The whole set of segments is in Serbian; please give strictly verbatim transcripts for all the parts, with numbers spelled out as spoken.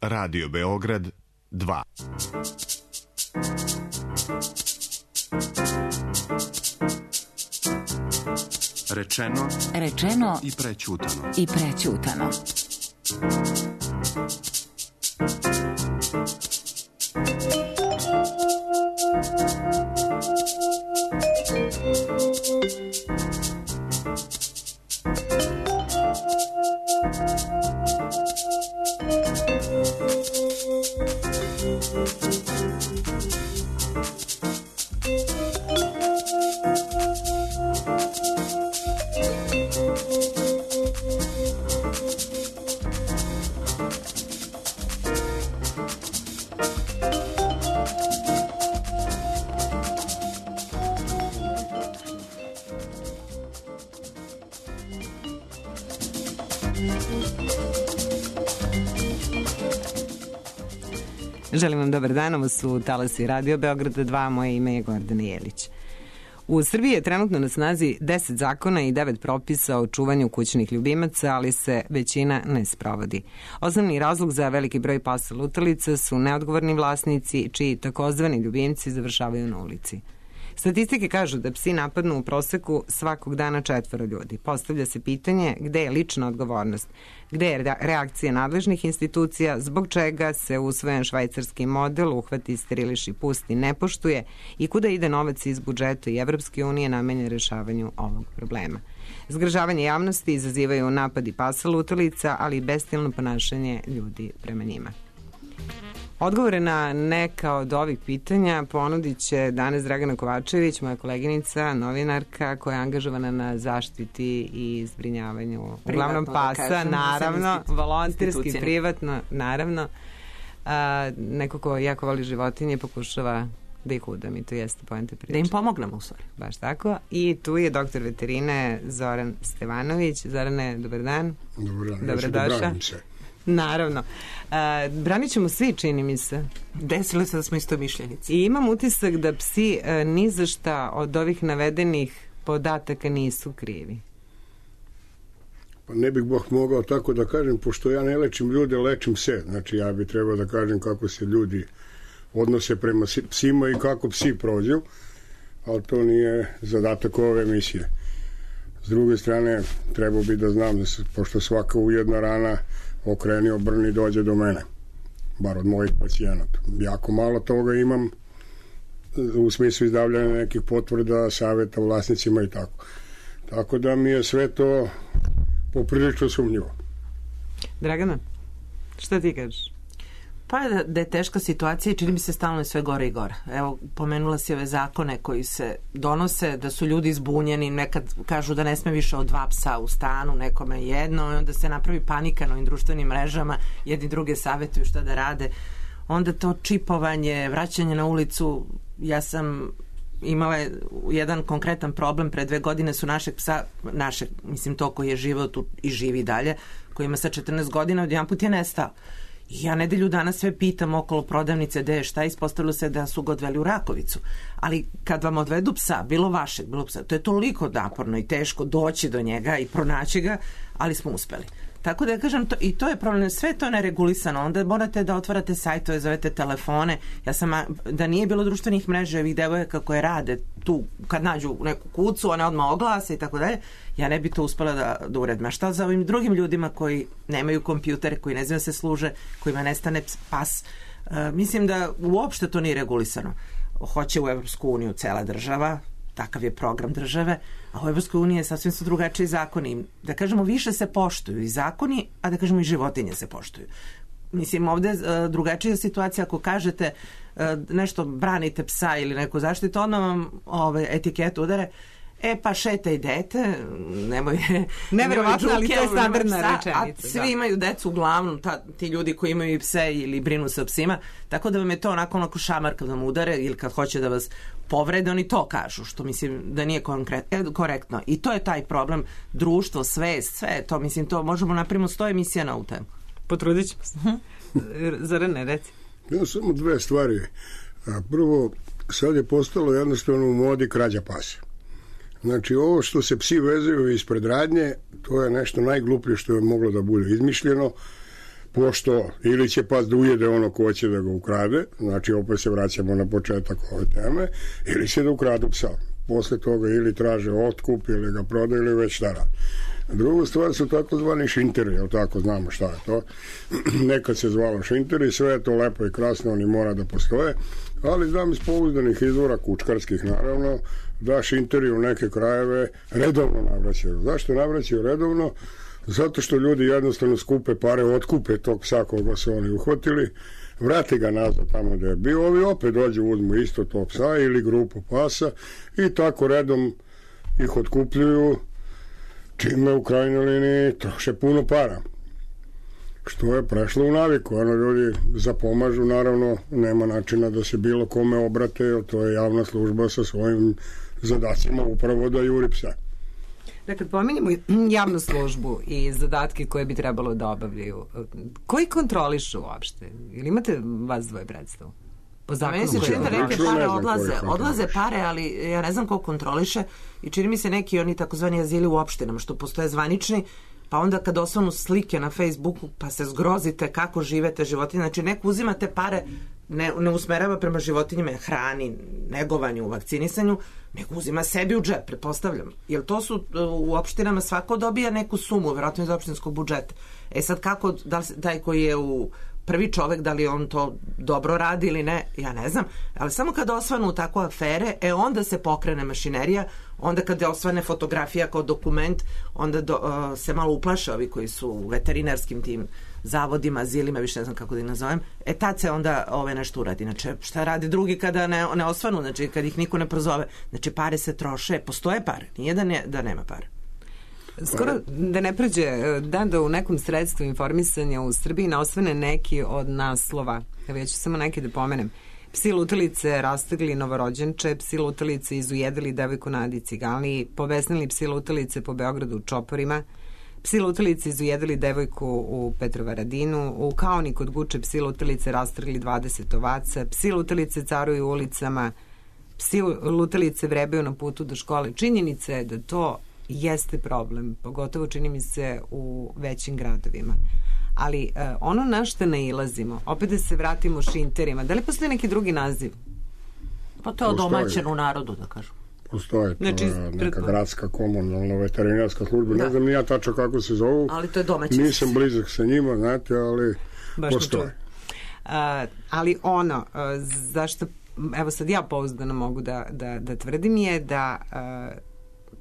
Radio Beograd dva. Rečeno, rečeno i prećutano. I prećutano. Želim vam dobar dan, ovo su talasi Radio Beograda dva, moje ime je Gordana Jelić. U Srbiji je trenutno na snazi deset zakona i devet propisa o čuvanju kućnih ljubimaca, ali se većina ne sprovodi. Osnovni razlog za veliki broj pasa lutalica su neodgovorni vlasnici, čiji takozvani ljubimci završavaju na ulici. Statistike kažu da psi napadnu u proseku svakog dana četvoro ljudi. Postavlja se pitanje gde je lična odgovornost, gde je reakcija nadležnih institucija, zbog čega se usvojen švajcarski model uhvati, steriliši, pusti, ne poštuje i kuda ide novac iz budžeta i Evropske unije namenjen rešavanju ovog problema. Zgražavanje javnosti izazivaju napadi pasa lutalica, ali i bestijalno ponašanje ljudi prema njima. Odgovore na neka od ovih pitanja ponudit će danas Dragana Kovačević, moja koleginica, novinarka koja je angažovana na zaštiti i zbrinjavanju uglavnom pasa, da kažem, naravno, volonterski, privatno, naravno. A, neko ko jako voli životinje pokušava da ih udam i to jeste poenta priče. Da im pomognemo u stvari. Baš tako. I tu je doktor veterine Zoran Stevanović. Zorane, dobar dan. Dobar dan, Dobro ja se došao. da branim se. Naravno. Uh, branit ćemo svi, čini mi se. Desilo se da smo isto mišljenici. I imam utisak da psi uh, ni za šta od ovih navedenih podataka nisu krivi. Pa ne bih Bog mogao tako da kažem, pošto ja ne lečim ljude, lečim pse. Znači ja bih trebao da kažem kako se ljudi odnose prema psima i kako psi prođu, ali to nije zadatak ove emisije. S druge strane, trebao bi da znam da se, pošto svaka ujedna rana okreni, obrni, dođe do mene, bar od mojih pacijenata. Jako malo toga imam u smislu izdavljanja nekih potvrda, savjeta vlasnicima i tako. Tako da mi je sve to poprilično sumnjivo. Dragana, šta ti kažeš? Pa da, da je teška situacija i čini mi se stalno sve gore i gore. Evo, pomenula si ove zakone koji se donose, da su ljudi zbunjeni, nekad kažu da ne sme više od dva psa u stanu, nekome jedno, i onda se napravi panika na ovim društvenim mrežama, jedni druge savjetuju šta da rade. Onda to čipovanje, vraćanje na ulicu, ja sam imala jedan konkretan problem, pre dve godine su našeg psa, našeg, mislim to koji je živeo tu i živi dalje, koji ima sa četrnaest godina, odjedan put je nestao. Ja nedelju dana sve pitam okolo prodavnice gde je šta, ispostavilo se da su ga odveli u Rakovicu. Ali kad vam odvedu psa, bilo vašeg, bilo psa, to je toliko naporno i teško doći do njega i pronaći ga, ali smo uspeli. Tako da ja kažem, to, i to je problem, sve to neregulisano, onda morate da otvarate sajtove, zovete telefone. Ja sam, da nije bilo društvenih mreža, ovih devojaka koje rade tu, kad nađu neku kucu, one odmah oglase i tako dalje, ja ne bi to uspela da, da uredim. A šta za ovim drugim ljudima koji nemaju kompjutere, koji ne znaju da se služe, kojima nestane pas? E, mislim da uopšte to nije regulisano. Hoće u Evropsku uniju cela država, takav je program države, a u Evropskoj uniji je sasvim su drugačiji zakoni. Da kažemo, više se poštuju i zakoni, a da kažemo i životinje se poštuju. Mislim, ovde je drugačija situacija ako kažete nešto, branite psa ili neku zaštitu, onda vam ove, etiketu udare, e pa šetaj dete, nemoj neverovatno, ali to je standardna rečenica. A svi da. Imaju decu uglavnom, ta, ti ljudi koji imaju pse ili brinu se o psima, tako da vam je to onako onako šamar kad vam udare ili kad hoće da vas povrede, oni to kažu, što mislim da nije korektno. I to je taj problem, društvo, svest, sve to, mislim, to možemo napravimo sto emisija na ovu temu. Potrudit ćemo se. Zorane, reci. Ja, samo dve stvari. Prvo, sad je postalo jednostavno u modi krađa pasa. Znači, ovo što se psi vezuju ispred radnje, to je nešto najgluplje što je moglo da bude izmišljeno. pošto ili će pas da ujede ono ko će da ga ukrade, znači opet se vraćamo na početak ove teme, ili će da ukradu psa. Posle toga ili traže otkup, ili ga prodaju, ili već šta radi. Druga stvar su takozvani šinteri, jel tako, znamo šta je to. Nekad se zvalo šinteri, sve je to lepo i krasno, oni mora da postoje, ali znam iz pouzdanih izvora, kučkarskih naravno, da šinteri u neke krajeve redovno navraćaju. Zašto navraćaju redovno? Zato što ljudi jednostavno skupe pare, otkupe tog psa koga su oni uhvatili, vrati ga nazad tamo gde je bio, ovi opet dođu, uzmu isto tog psa ili grupu pasa i tako redom ih otkupljuju, čime u krajnjoj liniji troše puno para. Što je prešlo u naviku, ono ljudi zapomažu, naravno nema načina da se bilo kome obrate, jer to je javna služba sa svojim zadacima upravo da juri psa. Dakle, pominjemo javnu službu i zadatke koje bi trebalo da obavljaju. Koji kontrolišu uopšte? Ili imate vas dvoje predstavu? Po zakonu meni se koji čini da neke kontrolišu? pare Ne znam odlaze, koji odlaze kontrolišu. pare, ali ja ne znam ko kontroliše i čini mi se neki oni takozvani azili u opštinama što postoje zvanični, pa onda kad osvanu slike na Facebooku pa se zgrozite kako živete životinje, znači neko uzima te pare, ne, ne usmerava prema životinjima, hrani, negovanju, vakcinisanju, nego uzima sebi u džep, pretpostavljam. Jer to su u opštinama svako dobija neku sumu, vjerojatno iz opštinskog budžeta. E sad kako, da li, taj koji je u prvi čovek, da li on to dobro radi ili ne, ja ne znam, ali samo kada osvanu takve afere, e onda se pokrene mašinerija, onda kada osvane fotografija kao dokument, onda do, uh, se malo uplaše ovi koji su u veterinarskim tim zavodima, azilima, više ne znam kako da ih nazovem, e tad se onda ove nešto uradi. Znači, šta radi drugi kada ne, ne osvanu, znači kad ih niko ne prozove, znači pare se troše, postoje pare, nije da, ne, da nema pare. Skoro da ne prođe dan da u nekom sredstvu informisanja u Srbiji ne osvane neki od naslova. Evo ja ću samo neki da pomenem. Psi lutalice rastegli novorođenče, psi lutalice izujedili devojku na Adi Ciganliji, povesnili psi lutalice po Beogradu u čoporima, psi lutalice izujedili devojku u Petrovaradinu, u Kaoni kod Guče psi lutalice rastrgli dvadeset ovaca, psi lutalice caruju ulicama, psi lutalice vrebaju na putu do škole. Činjenica je da to jeste problem, pogotovo čini mi se u većim gradovima. Ali uh, ono na što nailazimo, opet da se vratimo šinterima, da li postoji neki drugi naziv? Pa to je odomaćeno u narodu, da kažem. Postoje, to Znači, je neka pretpo- gradska komunalna veterinarska služba, Da. ne znam ni ja tačno kako se zovu, Ali to je domaćinski. nisam blizak sa njima, znate, ali Baš ne postoje. čujem. Uh, ali ono, uh, zašto, evo sad ja pouzdano mogu da, da, da tvrdim je da uh,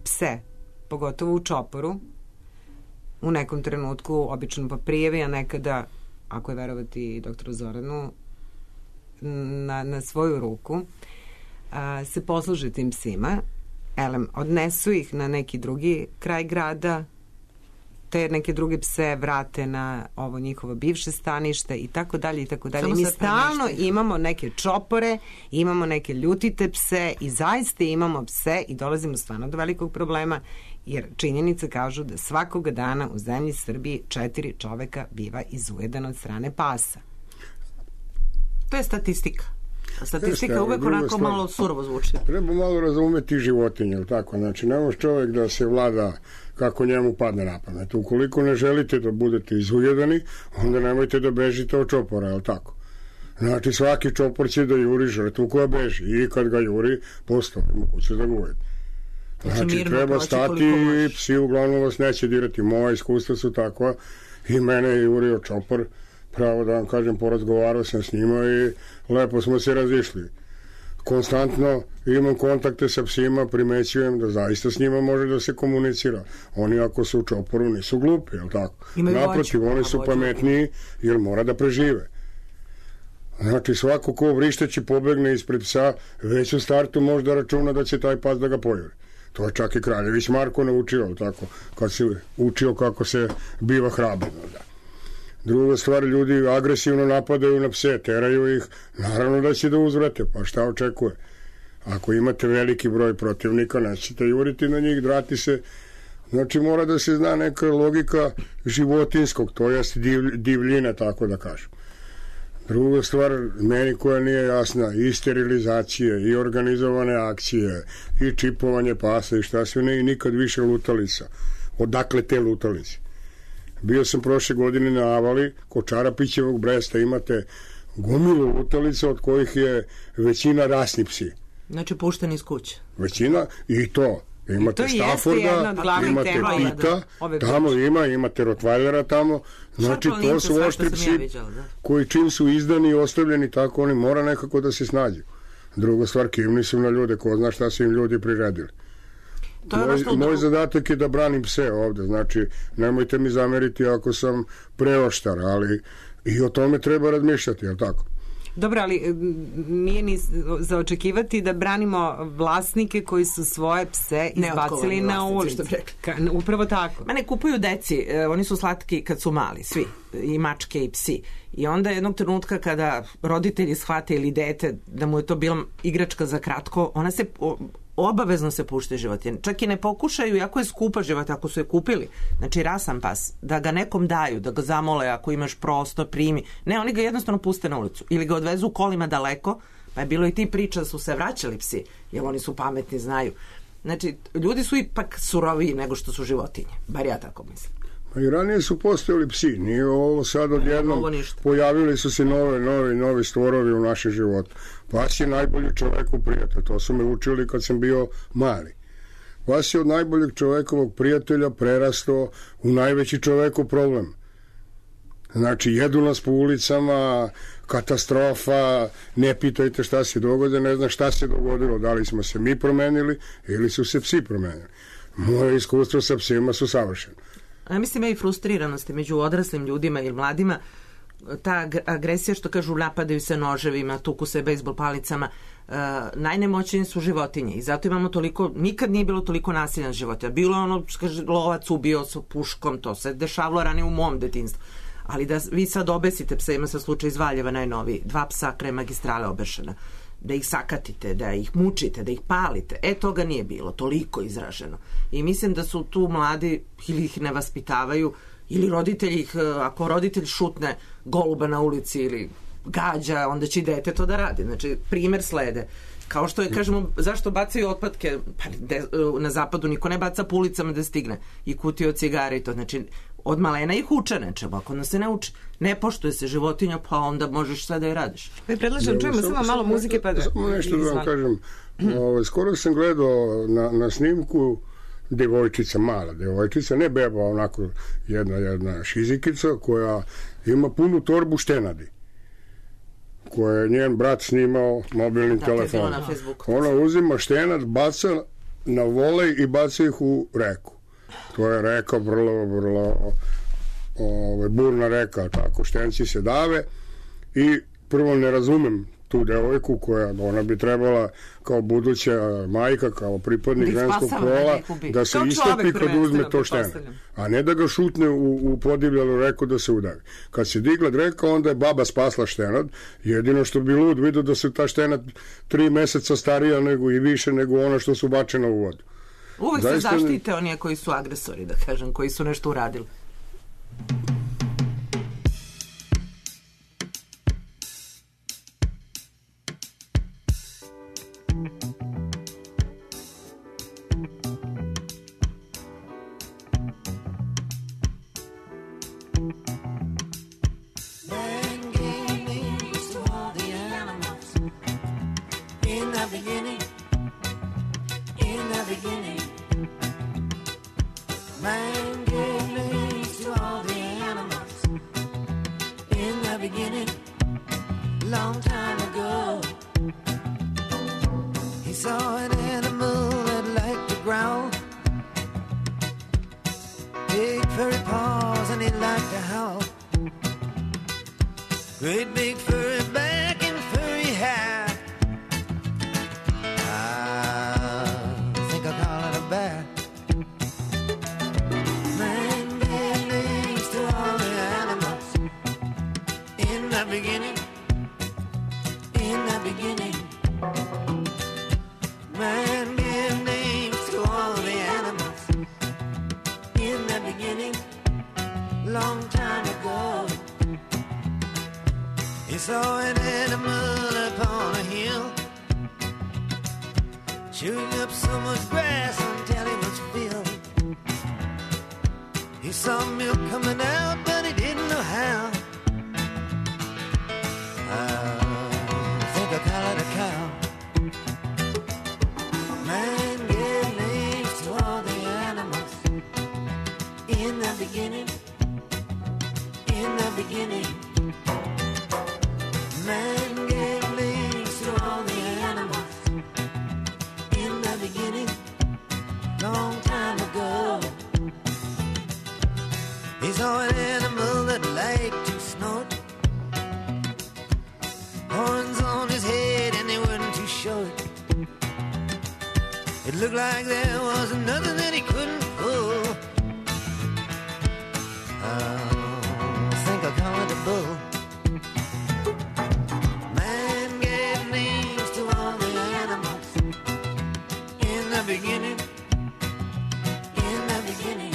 pse, pogotovo u čoporu, u nekom trenutku, obično pa prijevi, a nekada, ako je verovati doktoru Zoranu, na, na svoju ruku, a, se posluže tim psima, elem, odnesu ih na neki drugi kraj grada, te neke druge pse vrate na ovo njihovo bivše stanište i tako dalje i tako dalje. Samo Mi se stalno premeštaju. imamo neke čopore, imamo neke ljutite pse i zaista imamo pse i dolazimo stvarno do velikog problema, jer činjenice kažu da svakoga dana u zemlji Srbiji četiri čoveka biva izujedano od strane pasa. To je statistika. Statistika Jeste, uvek druga onako stvar. malo surovo zvuči. Treba malo razumeti životinje, jel tako? Znači, ne može čovjek da se vlada kako njemu padne na pamet. Ukoliko ne želite da budete izujedani, onda nemojte da bežite od čopora, jel tako? Znači, svaki čopor će da juri žrtvu koja beži i kad ga juri, postoji moguće da ga ujede. Znači, mirno treba proći stati koliko i možeš. psi uglavnom vas neće dirati. Moja iskustva su takva i mene je jurio čopor, pravo da vam kažem, porazgovarao sam s njima i lepo smo se razišli. Konstantno imam kontakte sa psima, primećujem da zaista s njima može da se komunicira. Oni ako su u čoporu nisu glupi, jel tako? Imaju Naprotiv, vođu, oni a su vođu. pametniji jer mora da prežive. Znači, svako ko vrišteći pobegne ispred psa, već u startu može da računa da će taj pas da ga pojuri. To je čak i Kraljević Marko naučio, jel tako, kad se učio kako se biva hrabar. Da. Druga stvar, ljudi agresivno napadaju na pse, teraju ih, naravno da će da uzvrate, pa šta očekuje? Ako imate veliki broj protivnika, nećete juriti na njih, drati se. Znači, mora da se zna neka logika životinskog, to jest div, divljina, tako da kažem. Druga stvar, meni koja nije jasna, i sterilizacije, i organizovane akcije, i čipovanje pasa, i šta sve ne, i nikad više lutalica. Odakle te lutalice? Bio sam prošle godine na Avali, kod Čarapićevog Bresta imate gomilu lutalica od kojih je većina rasni psi. Znači pušteni iz kuće. Većina i to. Imate Stafforda, imate Pita, tamo ima, imate Rottweilera tamo, znači to su oštri psi koji čim su izdani i ostavljeni tako, oni mora nekako da se snađu. Druga stvar, kivni su na ljude, ko zna šta su im ljudi priredili. Moj, moj zadatak je da branim pse ovde, znači nemojte mi zameriti ako sam preoštar, ali i o tome treba razmišljati, je li tako? Dobro, ali nije ni za očekivati da branimo vlasnike koji su svoje pse izbacili na ulicu. Upravo tako. Mene kupuju deci, oni su slatki kad su mali, svi, i mačke i psi. I onda jednog trenutka kada roditelji shvate ili dete da mu je to bila igračka za kratko, ona se obavezno se pušte životinje. Čak i ne pokušaju, ako je skupa životinja, ako su je kupili, znači rasan pas, da ga nekom daju, da ga zamole ako imaš prostor, primi. Ne, oni ga jednostavno puste na ulicu. Ili ga odvezu kolima daleko, pa je bilo i ti priča da su se vraćali psi, jer oni su pametni, znaju. Znači, ljudi su ipak suroviji nego što su životinje. Bar ja tako mislim. Pa i ranije su postojali psi, nije ovo sad odjednom, pojavili su se nove, novi, novi stvorovi u našem životu. Pas je najbolji čoveku prijatelj, to su me učili kad sam bio mali. Pas je od najboljeg čovekovog prijatelja prerastao u najveći čovekov problem. Znači, jedu nas po ulicama, katastrofa, ne pitajte šta se događa, ne znam šta se dogodilo, da li smo se mi promenili ili su se psi promenili. Moje iskustvo sa psima su savršeno. Ja mislim, i frustriranosti među odraslim ljudima ili mladima, ta agresija što kažu napadaju se noževima, tuku se bejsbol palicama, uh, najnemoćnije su životinje i zato imamo toliko, nikad nije bilo toliko nasilja na životinja. Bilo je ono, kaže, lovac ubio sa puškom, to se dešavalo ranije u mom detinstvu. Ali da vi sad obesite psa, ima sa slučaj iz Valjeva najnoviji, dva psa kraj magistrale obešena, da ih sakatite, da ih mučite, da ih palite. E, toga nije bilo, toliko izraženo. I mislim da su tu mladi ili ih ne vaspitavaju, ili roditelji ih, ako roditelj šutne goluba na ulici ili gađa, onda će i dete to da radi. Znači, primer slede. Kao što je, kažemo, zašto bacaju otpadke? Pa de, na zapadu niko ne baca po ulicama da stigne. I kutije od cigara i to. Znači, od malena ih uče nečemu, ako nas se ne uči. Ne poštuje se životinja, pa onda možeš sve da je radiš. Pa predlažem, čujemo samo malo muzike. Pa da... Samo nešto da vam kažem. Ovo, skoro sam gledao na, na snimku devojčica, mala devojčica, ne beba, onako jedna, jedna šizikica koja ima punu torbu štenadi, koja je njen brat snimao mobilnim da, telefonom. Ona uzima štenad, baca na volej i baca ih u reku. To je reka vrlo, vrlo ove, burna reka, tako, štenci se dave i prvo ne razumem tu devojku koja, ona bi trebala kao buduća majka, kao pripadnik ženskog pola, da se istepi kad uzme to štenad. A ne da ga šutne u, u podivljalu reku da se udavi. Kad se digla reka, onda je baba spasla štenad. Jedino što bi lud vidio da se ta štenad tri meseca starija nego i više nego ona što su bačena u vodu. Uvijek se zaštite oni koji su agresori, da kažem, koji su nešto uradili. Chewing up so much grass until he was filled. He He saw milk coming out, but he didn't know how. I think I call it a cow. Man gave names to all the animals. In the beginning, in the beginning, man gave names to all the animals. In the beginning, long time ago. He saw an animal that liked to snort, horns on his head and they weren't too short. It looked like there was nothing that he couldn't pull. I think I'll call it a bull. Man gave names to all the animals. In the beginning, in the beginning,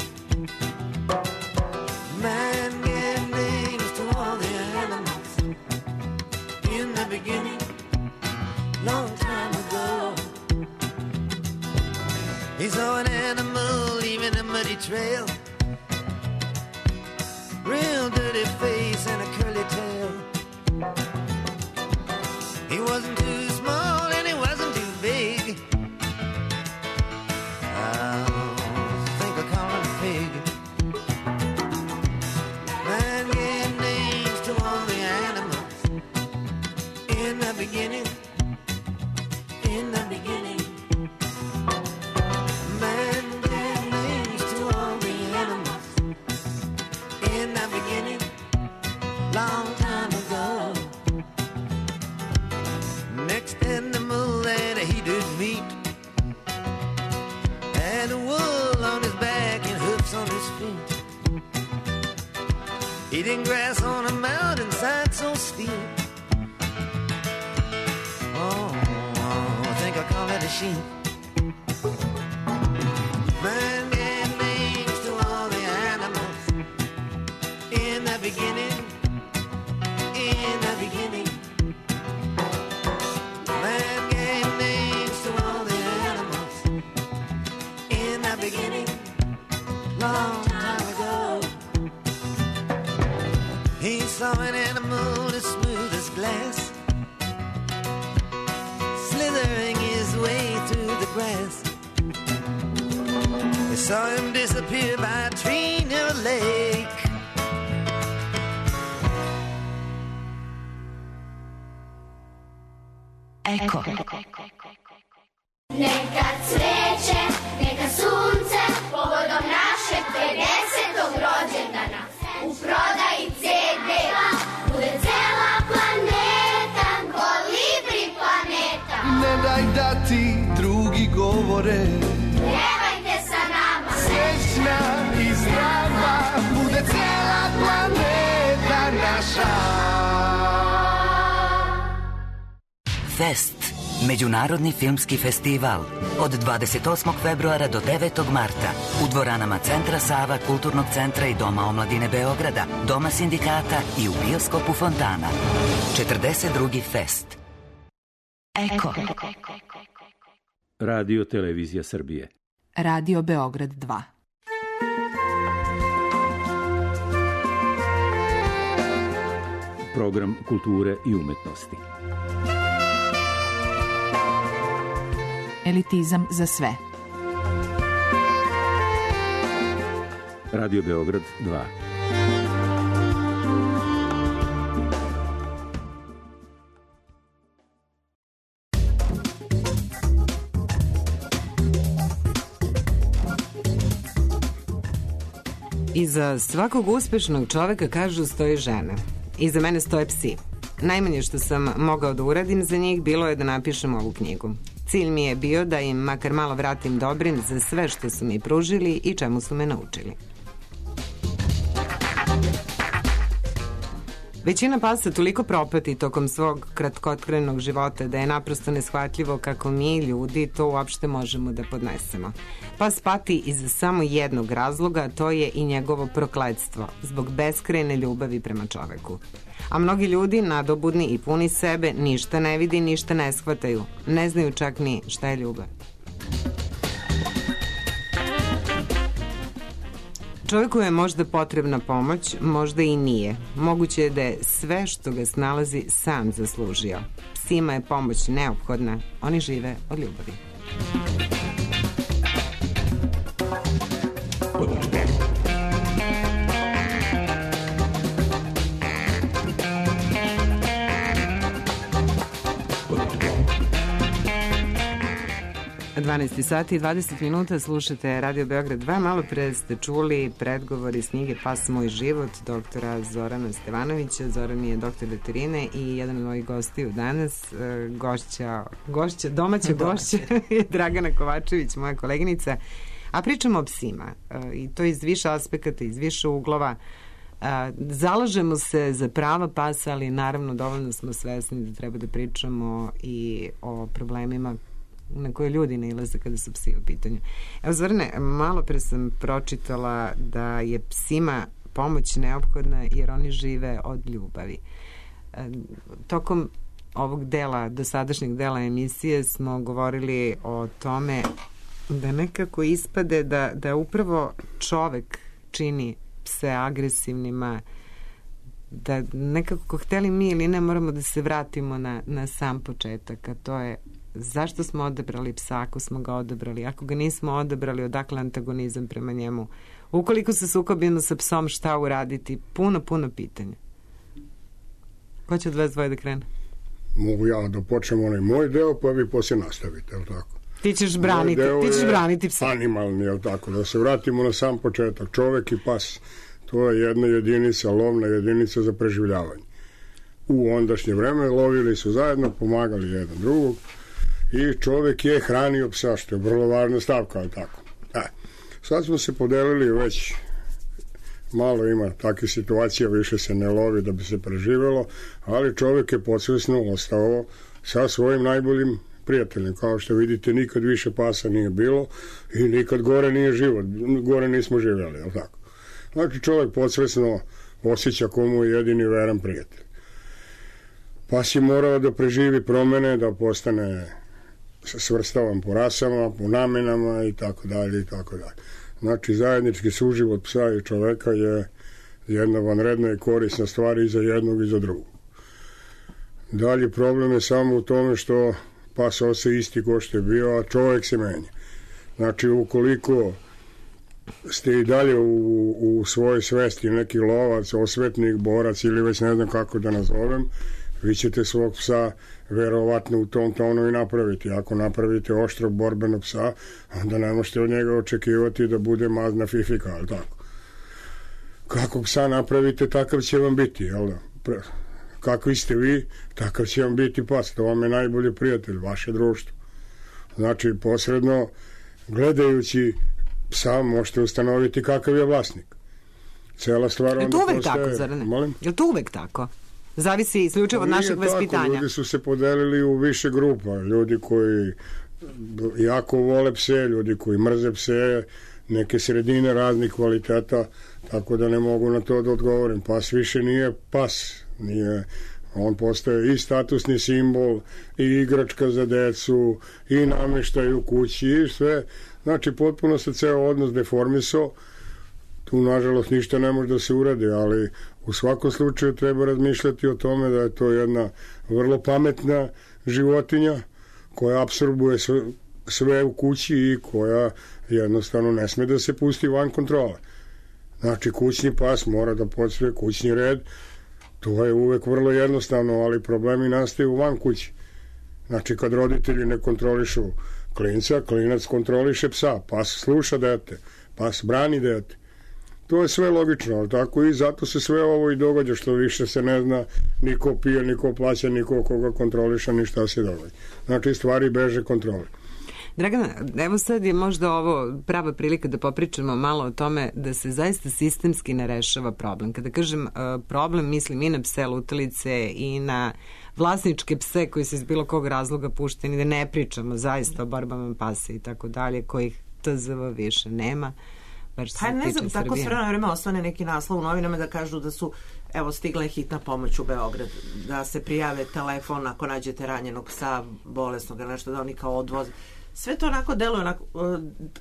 man gave names to all the animals. In the beginning, long time ago. He saw an animal leaving a muddy trail, real dirty face and a curly tail. He wasn't too small and he wasn't too big. I think I call him a pig. Man gave names to all the animals. In the beginning, in the beginning, man gave names to all the animals. In the beginning, long time ago. Next animal that he did meet had wool on his back and hoofs on his feet. Eating grass on a mountainside so steep. Oh, I think I call it a sheep. Man gave names to all the animals. In the beginning, in the beginning, man gave names to all the animals. In the beginning, long time ago. He saw an animal as smooth as glass, slithering his way through the grass. They saw him disappear by a tree near a lake. Eko. Neka cveće, neka sunce, povodom našeg pedesetog rođendana. U prodaji ce de bude cela planeta, Kolibri planeta. Ne daj da ti drugi govore, Pjevajte sa nama, srećna i zdrava, bude cela planeta naša. Fest. Međunarodni filmski festival od dvadeset osmog februara do devetog marta u dvoranama Centra Sava, Kulturnog centra i Doma omladine Beograda, Doma sindikata i u bioskopu Fontana. četrdeset drugi Fest. Eko. Radio Televizija Srbije. Radio Beograd dva. Program kulture i umetnosti. Elitizam za sve. Radio Beograd dva. Iza svakog uspešnog čoveka, kažu, stoje žene. Iza mene stoje psi. Najmanje što sam mogao da uradim za njih bilo je da napišem ovu knjigu. Cilj mi je bio da im makar malo vratim dobrin za sve što su mi pružili i čemu su me naučili. Većina pasa toliko propati tokom svog kratkotrenog života da je naprosto neshvatljivo kako mi, ljudi, to uopšte možemo da podnesemo. Pas pati iz samo jednog razloga, to je i njegovo prokletstvo, zbog beskrajne ljubavi prema čoveku. A mnogi ljudi, nadobudni i puni sebe, ništa ne vidi, ništa ne shvataju. Ne znaju čak ni šta je ljubav. Čovjeku je možda potrebna pomoć, možda i nije. Moguće je da je sve što ga snalazi sam zaslužio. Psima je pomoć neophodna, oni žive od ljubavi. dvanaest sati i dvadeset minuta, slušate Radio Beograd dva. Malo pre ste čuli predgovor iz knjige Pas moj život doktora Zorana Stevanovića. Zoran je doktor veterine i jedan od mojih gostiju danas, gošća, gošća domaća gošća je Dragana Kovačević, moja koleginica. A pričamo o psima i to iz više aspekata, iz više uglova. Zalažemo se za prava pasa, ali naravno dovoljno smo svesni da treba da pričamo i o problemima na koje ljudi nailaze kada su psi u pitanju. Evo, Zorane, malo pre sam pročitala da je psima pomoć neophodna jer oni žive od ljubavi. Tokom ovog dela, dosadašnjeg dela emisije smo govorili o tome da nekako ispade da, da upravo čovek čini pse agresivnima, da nekako hteli mi ili ne moramo da se vratimo na, na sam početak, a to je zašto smo odabrali psa ako smo ga odabrali, ako ga nismo odabrali, odakle antagonizam prema njemu, ukoliko se sukobimo sa psom, šta uraditi, puno, puno pitanja. Ko će od vas dvoje da krene? Mogu ja da počnem onaj moj deo, pa vi poslije nastavite, je li tako? Ti ćeš braniti, ti ćeš braniti psa. Animalni, je li tako? Da se vratimo na sam početak. Čovek i pas, to je jedna jedinica, lovna jedinica za preživljavanje. U ondašnje vreme lovili su zajedno, pomagali jedan drugog i čovek je hranio psa, što je vrlo važna stavka, ali tako. E, sad smo se podelili, već malo ima takve situacije, više se ne lovi da bi se preživelo, ali čovek je podsvesno ostao sa svojim najboljim prijateljem. Kao što vidite, nikad više pasa nije bilo i nikad gore nije život, gore nismo živjeli, jel tako? Znači čovek podsvesno osjeća komu je jedini veran prijatelj. Pas je morao da preživi promene, da postane svrstavan po rasama, po namenama i tako dalje i tako dalje. Znači zajednički suživot psa i čoveka je jedna vanredna i korisna stvar i za jednog i za drugog. Dalje problem je samo u tome što pas ostaje isti ko što je bio, a čovek se menja. Znači ukoliko ste i dalje u, u svojoj svesti neki lovac, osvetnik, borac ili već ne znam kako da nazovem, vi ćete svog psa verovatno u tom tonu i napraviti. Ako napravite oštrog borbenog psa, onda ne možete od njega očekivati da bude mazna fifika, ali tako. Kako psa napravite, takav će vam biti, jel da? Kakvi ste vi, takav će vam biti pas. To vam je najbolji prijatelj, vaše društvo. Znači, posredno, gledajući psa, možete ustanoviti kakav je vlasnik. Cela stvar onda je to uvek postaje... tako, zar ne? Molim? Je to uvek tako? Zavisi isključivo od našeg vaspitanja. Ljudi su se podelili u više grupa. Ljudi koji jako vole pse, ljudi koji mrze pse, neke sredine raznih kvaliteta, tako da ne mogu na to da odgovorim. Pas više nije pas. Nije, on postaje i statusni simbol, i igračka za decu, i namještaj u kući, i sve. Znači, potpuno se ceo odnos deformisao. Tu, nažalost, ništa ne može da se uradi, ali u svakom slučaju treba razmišljati o tome da je to jedna vrlo pametna životinja koja apsorbuje sve, sve u kući i koja jednostavno ne sme da se pusti van kontrole. Znači, kućni pas mora da podsvoje kućni red. To je uvek vrlo jednostavno, ali problemi nastaju van kući. Znači, kad roditelji ne kontrolišu klinca, klinac kontroliše psa, pas sluša dete, pas brani dete. To je sve logično, ali tako i zato se sve ovo i događa, što više se ne zna niko pije, niko plaća, niko koga kontroliša, ni šta se događa. Znači, stvari beže kontrole. Dragana, evo sad je možda ovo prava prilika da popričamo malo o tome da se zaista sistemski ne rešava problem. Kada kažem problem, mislim i na pse lutalice i na vlasničke pse koji se iz bilo kog razloga pušteni, da ne pričamo zaista o borbama pasa i tako dalje, kojih T Z V više nema. Pa ne znam, tako s vremena vreme osvane neki naslov u novinama da kažu da su, evo, stigla je hitna pomoć u Beograd, da se prijave telefon ako nađete ranjenog psa, bolesnog, nešto da oni kao odvoze. Sve to onako deluje onako,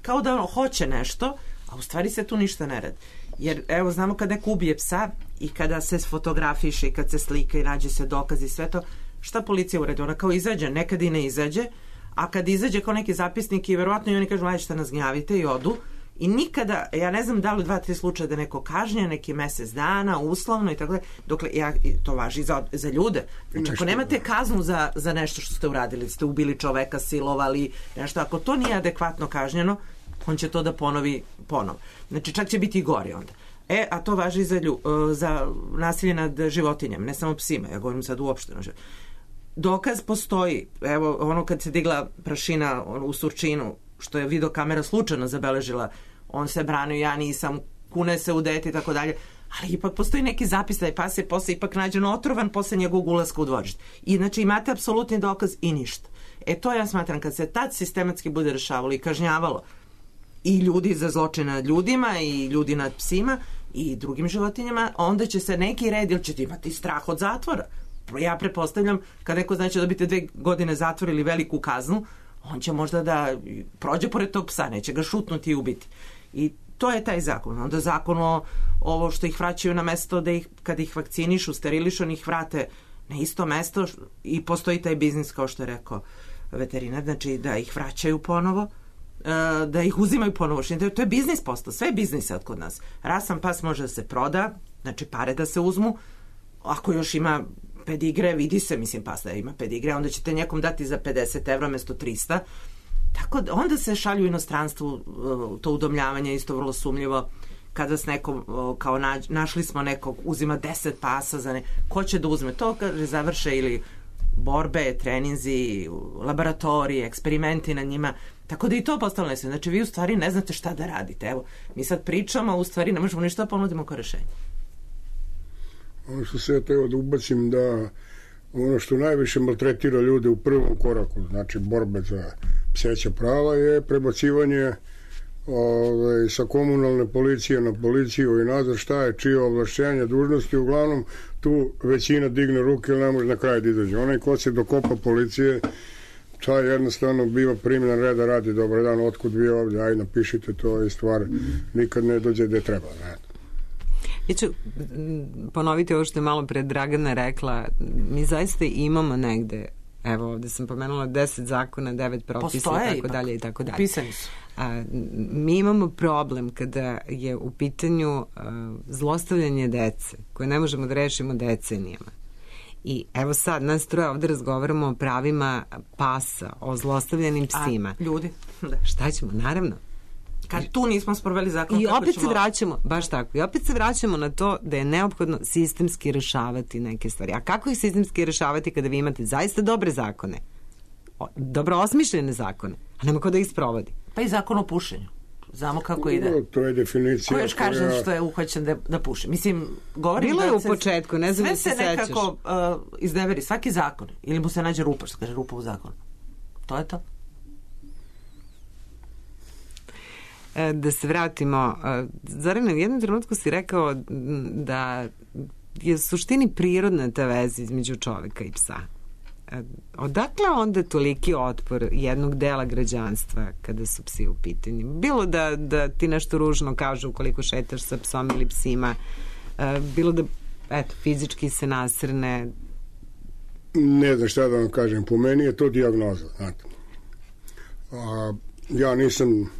kao da ono hoće nešto, a u stvari se tu ništa ne radi. Jer, evo, znamo kad neko ubije psa i kada se fotografiše i kad se slika i nađe se dokaz i sve to, šta policija uredi? Ona kao izađe, nekad i ne izađe, a kad izađe kao neki zapisnik i verovatno i oni kažu, ajde šta nas gnjavite i odu. I nikada, ja ne znam da li dva, tri slučaja da neko kažnje, neki mesec dana, uslovno i tako da, dokle, ja, to važi za, za ljude. Znači, ako nemate kaznu za, za nešto što ste uradili, ste ubili čoveka, silovali, nešto, ako to nije adekvatno kažnjeno, on će to da ponovi ponovo. Znači, čak će biti i gori onda. E, a to važi za, lju, za nasilje nad životinjama, ne samo psima, ja govorim sad uopšteno. Dokaz postoji, evo, ono kad se digla prašina u Surčinu, što je videokamera slučajno zabeležila, on se branio, ja nisam, kune se u dete i tako dalje, ali ipak postoji neki zapis da je pas je posle ipak nađen otrovan posle njegovog ulaska u dvorište. I znači imate apsolutni dokaz i ništa. E to ja smatram, kad se tad sistematski bude rešavalo i kažnjavalo i ljudi za zločine nad ljudima i ljudi nad psima i drugim životinjama, onda će se neki red, ili ćete imati strah od zatvora. Ja prepostavljam, kad neko znači da dobite dve godine zatvora ili veliku kaznu, on će možda da prođe pored tog psa, neće ga šutnuti i ubiti. I to je taj zakon. Onda zakon o ovo što ih vraćaju na mesto da ih, kad ih vakcinišu, sterilišu, oni ih vrate na isto mesto i postoji taj biznis, kao što je rekao veterinar, znači da ih vraćaju ponovo, da ih uzimaju ponovo. To je biznis postao, sve je biznis od kod nas. Rasan pas može da se proda, znači pare da se uzmu, ako još ima pedigre, vidi se, mislim, pas da ima pedigre, onda ćete nekom dati za pedeset evra mesto trista. Tako da onda se šalju u inostranstvu, to udomljavanje isto vrlo sumljivo, kada s nekom, kao nađ, našli smo nekog, uzima deset pasa za ne, ko će da uzme to, kaže završe ili borbe, treninzi, laboratorije, eksperimenti na njima, tako da i to postalo nesvijeno. Znači vi u stvari ne znate šta da radite. Evo, mi sad pričamo, a u stvari ne možemo ništa ponudimo kao rešenje. Ono što se ja teo da ubacim, da ono što najviše maltretira ljude u prvom koraku, znači borbe za pseća prava, je prebacivanje ove, sa komunalne policije na policiju i nazad, šta je čije ovlašćenje, dužnosti. Uglavnom tu većina digne ruke ili ne može na kraj da izađe. Onaj ko se dokopa policije, taj jednostavno biva primljen reda, radi dobar dan, otkud vi ovdje, aj napišite to i stvar nikad ne dođe gde treba. Ne? Ja ću ponoviti ovo što je malo pre Dragana rekla. Mi zaista imamo negde, evo ovde sam pomenula deset zakona, devet propisa i tako dalje i tako dalje. Upisani su. A, mi imamo problem kada je u pitanju a, zlostavljanje dece, koje ne možemo da rešimo decenijama. I evo sad, nas troje ovde razgovaramo o pravima pasa, o zlostavljanim psima. A, ljudi? Da. Šta ćemo? Naravno. Kad tu nismo sproveli zakon, i opet ćemo... se vraćamo, baš tako, i opet se vraćamo na to da je neophodno sistemski rešavati neke stvari. A kako ih sistemski rešavati kada vi imate zaista dobre zakone, dobro osmišljene zakone, a nema ko da ih sprovodi? Pa i zakon o pušenju. Znamo kako ide. No, to je definicija. Ko još kaže koja... što je uhvaćen da, da puši? Mislim, govorim bilo da je u se, početku, ne znam da se sećaš. Sve se nekako uh, izneveri, svaki zakon. Ili mu se nađe rupa, što kaže rupa u zakonu. To je to. Da se vratimo. Zorane, u jednom trenutku si rekao da je u suštini prirodna ta veza između čoveka i psa. Odakle onda toliki otpor jednog dela građanstva kada su psi u pitanju? Bilo da, da ti nešto ružno kažu ukoliko šetaš sa psom ili psima, bilo da eto, fizički se nasrne? Ne znam šta da vam kažem, po meni je to dijagnoza, znate. A, ja nisam,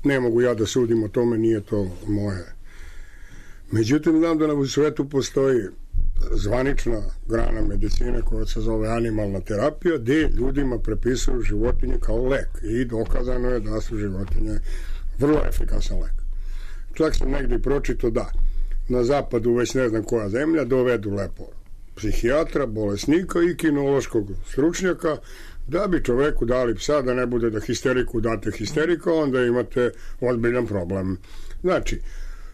ne mogu ja da sudim o tome, nije to moje. Međutim, znam da na svetu postoji zvanična grana medicine koja se zove animalna terapija, gde ljudima prepisuju životinje kao lek i dokazano je da su životinje vrlo efikasan lek. Čak sam negdje pročito da na zapadu, već ne znam koja zemlja, dovedu lepo psihijatra, bolesnika i kinološkog stručnjaka da bi čoveku dali psa, da ne bude da histeriku date histerika, onda imate ozbiljan problem. Znači,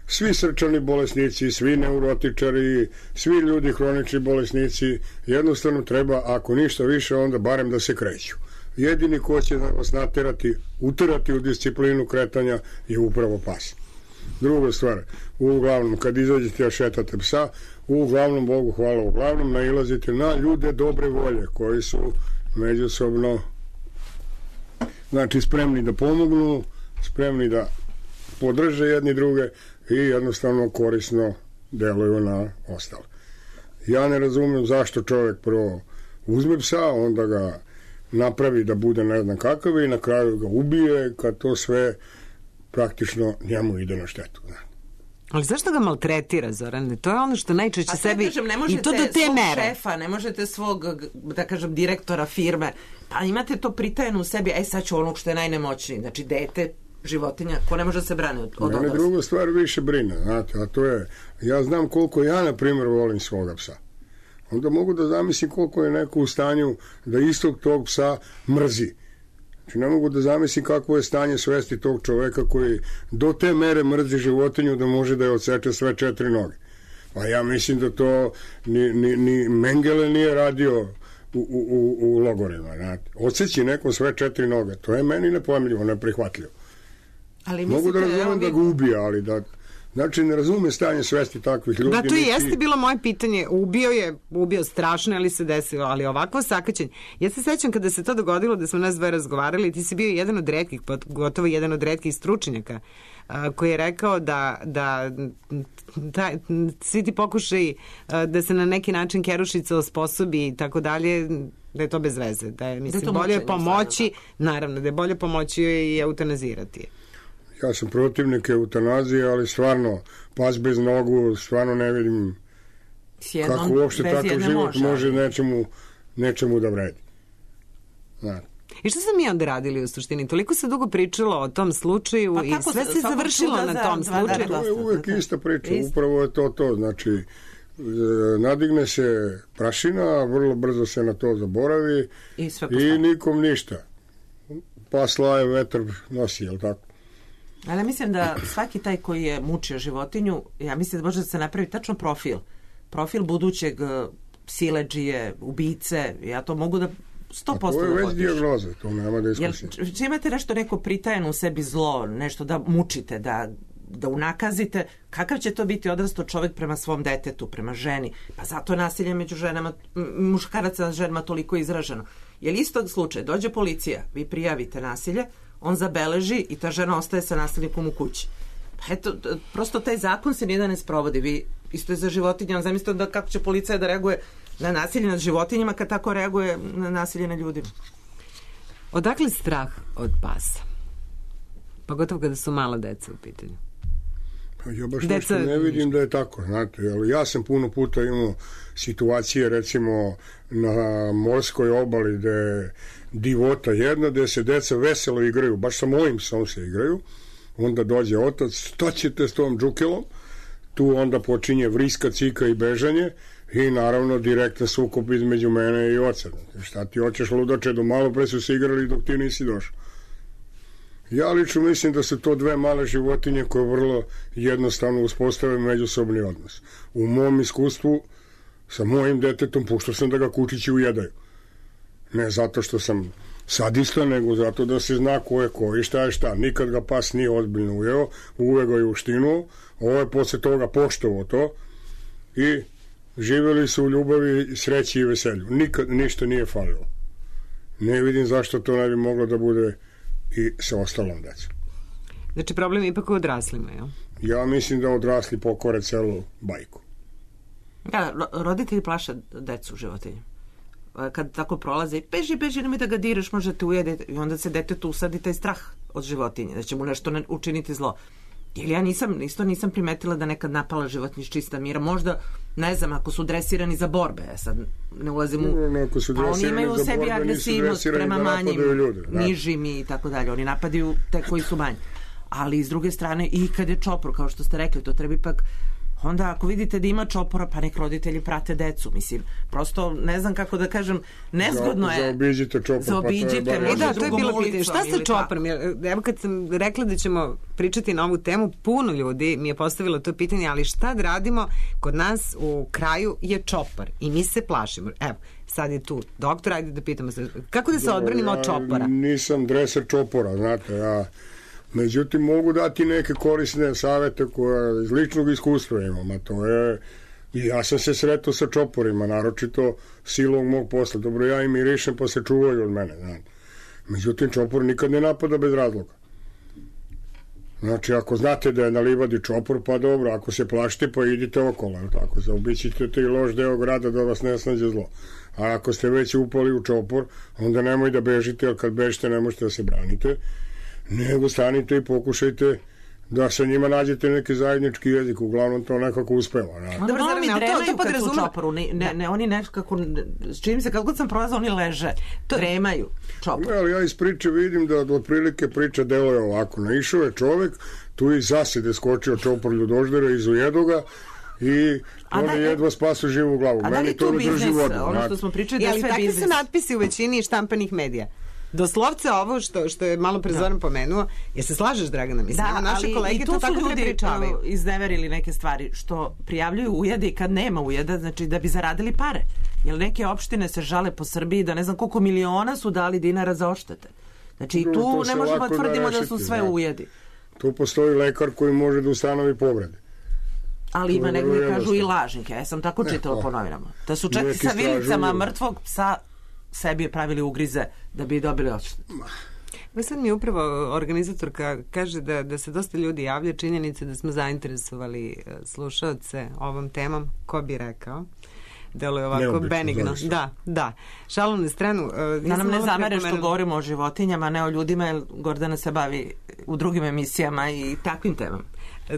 svi srčani bolesnici, svi neurotičari, svi ljudi hronični bolesnici, jednostavno treba, ako ništa više, onda barem da se kreću. Jedini ko će vas naterati, uterati u disciplinu kretanja je upravo pas. Druga stvar, uglavnom, kad izađete a šetate psa, uglavnom, Bogu hvala, uglavnom nailazite na ljude dobre volje, koji su međusobno, znači, spremni da pomognu, spremni da podrže jedni druge i jednostavno korisno deluju na ostale. Ja ne razumem zašto čovjek prvo uzme psa, onda ga napravi da bude ne znam kakav i na kraju ga ubije, kad to sve praktično njemu ide na štetu. Ali zašto ga maltretira, Zorane? To je ono što najčešće pa sebi... Kažem, ne i to do te svog mere. šefa, ne možete svog, da kažem, direktora firme, pa imate to pritajeno u sebi, aj sad ću onog što je najnemoćniji, znači dete, životinja, ko ne može da se brane od, od Mene druga stvar više brine, znate, a to je, ja znam koliko ja, na primjer, volim svoga psa. Onda mogu da zamislim koliko je neko u stanju da istog tog psa mrzi. Znači, ne mogu da zamislim kakvo je stanje svesti tog čoveka koji do te mere mrzi životinju da može da je odseče sve četiri noge. Pa ja mislim da to ni, ni, ni Mengele nije radio u, u, u, u logorima. Znate. Odseći nekom sve četiri noge, to je meni nepojmljivo, neprihvatljivo. Ali mogu da mislite, razumem da ga ubija, ali da... Znači, ne razume stanje svesti takvih ljudi. Da, to i niti... jeste bilo moje pitanje. Ubio je, ubio strašno, ali se desilo, ali ovakvo sakaćenje. Ja se sećam kada se to dogodilo, da smo nas dve razgovarali, ti si bio jedan od retkih, gotovo jedan od retkih stručnjaka, a, koji je rekao da, da taj, svi ti pokušaj da se na neki način Kerušica osposobi i tako dalje, da je to bez veze. Da je, mislim, da je bolje pomoći, naravno, da je bolje pomoći i eutanazirati je. Ja sam protivnik eutanazije, ali stvarno, pas bez nogu, stvarno ne vidim jednom, kako uopšte takav život može, može nečemu, nečemu da vredi. Znači. I što smo mi onda radili u suštini? Toliko se dugo pričalo o tom slučaju pa i sve se završilo na tom slučaju. To je uvek ista priča, upravo je to to. Znači, nadigne se prašina, vrlo brzo se na to zaboravi i, i nikom ništa. Pas laje, vetar nosi, jel tako? Ali mislim da svaki taj koji je mučio životinju, ja mislim da može da se napravi tačno profil. Profil budućeg siledžije, ubice, ja to mogu da sto posto da potpišem. To je već dijagnoza, to nema diskusije. Če imate nešto neko pritajeno u sebi zlo, nešto da mučite, da, da unakazite, kakav će to biti odrasto čovjek prema svom detetu, prema ženi? Pa zato je nasilje među ženama, muškaraca na ženama toliko izraženo. Jer istog slučaja, dođe policija, vi prijavite nasilje, on zabeleži i ta žena ostaje sa nasilnikom u kući. Pa eto, prosto taj zakon se nijedan ne sprovodi. Vi isto je za životinje, on zamislite da kako će policija da reaguje na nasilje nad životinjama kad tako reaguje na nasilje nad ljudima. Odakle strah od pasa? Pogotovo kada su mala deca u pitanju. Pa ja baš deca... nešto ne vidim da je tako, znate, ali ja sam puno puta imao situacije, recimo, na morskoj obali gde je divota jedna, gde se deca veselo igraju, baš sa mojim psom se igraju, onda dođe otac, šta ćete s tom džukelom, tu onda počinje vriska, cika i bežanje i naravno direktan sukob između mene i oca. Šta ti hoćeš, ludače, do malo pre su se igrali dok ti nisi došao. Ja lično mislim da su to dve male životinje koje vrlo jednostavno uspostave međusobni odnos. U mom iskustvu sa mojim detetom puštao sam da ga kučići ujedaju. Ne zato što sam sadista, nego zato da se zna ko je ko i šta je šta. Nikad ga pas nije ozbiljno ujeo, uvek ga je uštinuo, ovo je posle toga poštovo to i živjeli su u ljubavi, sreći i veselju. Nikad ništa nije falilo. Ne vidim zašto to ne bi moglo da bude i sa ostalom decom. Znači problem je ipak u odraslima, jel? Ja mislim da odrasli pokore celu bajku. Ja, roditelji plaše decu životinju. Kad tako prolaze, beži, beži, nemoj da ga diraš, možete ujediti. I onda se detetu usadi taj strah od životinje, da će mu nešto ne učiniti zlo. Jer ja nisam, isto nisam primetila da nekad napala životinje iz čista mira. Možda, ne znam, ako su dresirani za borbe, ja sad ne ulazim u... No, ako su pa oni imaju u sebi borbe, agresivnost prema da manjim, ljude, da. nižim i tako dalje. Oni napadaju te koji su manji. Ali s druge strane, i kad je čopor, kao što ste rekli, to treba ipak... Onda ako vidite da ima čopora, pa nek roditelji prate decu. Mislim, prosto ne znam kako da kažem, nezgodno je. Zaobiđite čopor. Zaobiđite, pa to je e da, to je bilo pitanje. Šta sa čoporom? Evo kad sam rekla da ćemo pričati na ovu temu, puno ljudi mi je postavilo to pitanje, ali šta da radimo? Kod nas u kraju je čopor i mi se plašimo. Evo, sad je tu doktor, ajde da pitamo se. Kako da se odbranimo od čopora? Nisam dreser čopora, znate, ja... Međutim, mogu dati neke korisne savete koje iz ličnog iskustva imam, a to je, i ja sam se sretao sa čoporima, naročito silom mog posla. Dobro, ja im mirišem pa se čuvaju od mene. Znam. Međutim, čopor nikad ne napada bez razloga. Znači, ako znate da je na livadi čopor, pa dobro, ako se plašite, pa idite okolo, tako, zaobićite te i loš deo grada da vas ne snađe zlo. A ako ste već upali u čopor, onda nemoj da bežite, jer kad bežite ne možete da se branite, nego stanite i pokušajte da sa njima nađete neki zajednički jezik, uglavnom to nekako uspeva. Da, dobro, oni dremaju kad su u čoporu, ne, ne, ne, oni nekako, čini se, kad god sam prolazila, oni leže, to dremaju čopor. Ne, ali ja iz priče vidim da od prilike priča deluje ovako. Naišao je čovek, tu i zasede skočio čopor ljudoždera, izujedu ga i oni da, jedva spasu živu glavu. A da li tu biznis, ono što smo pričali, da sve biznis? Ali takvi su natpisi u većini štampanih medija. Doslovce ovo što, što je malo pre Zoran pomenuo, jer se slažeš, Dragana, mislim, da, naše kolege to tako prepričavaju. Da, ali i tu su ljudi izneverili neke stvari, što prijavljuju ujede i kad nema ujeda, znači da bi zaradili pare. Jer neke opštine se žale po Srbiji da ne znam koliko miliona su dali dinara za odštete. Znači i tu ne možemo tvrdimo da, da su sve ujedi. Tu postoji lekar koji može da ustanovi povrede. Ali ima nego kažu i lažnike. Ja sam tako čitala po novinama. Da su čak sa vilicama mrtvog psa sebi pravili ugrize da bi dobili odštetu. Ma sad mi upravo organizatorka kaže da, da se dosta ljudi javlja, činjenice da smo zainteresovali slušaoce ovom temom. Ko bi rekao? Deluje ovako neobično, benigno. Zavisno. Da, da. Šalu na stranu. Uh, da nam ne zamere što govorimo o životinjama, ne o ljudima, jer Gordana se bavi u drugim emisijama i takvim temama.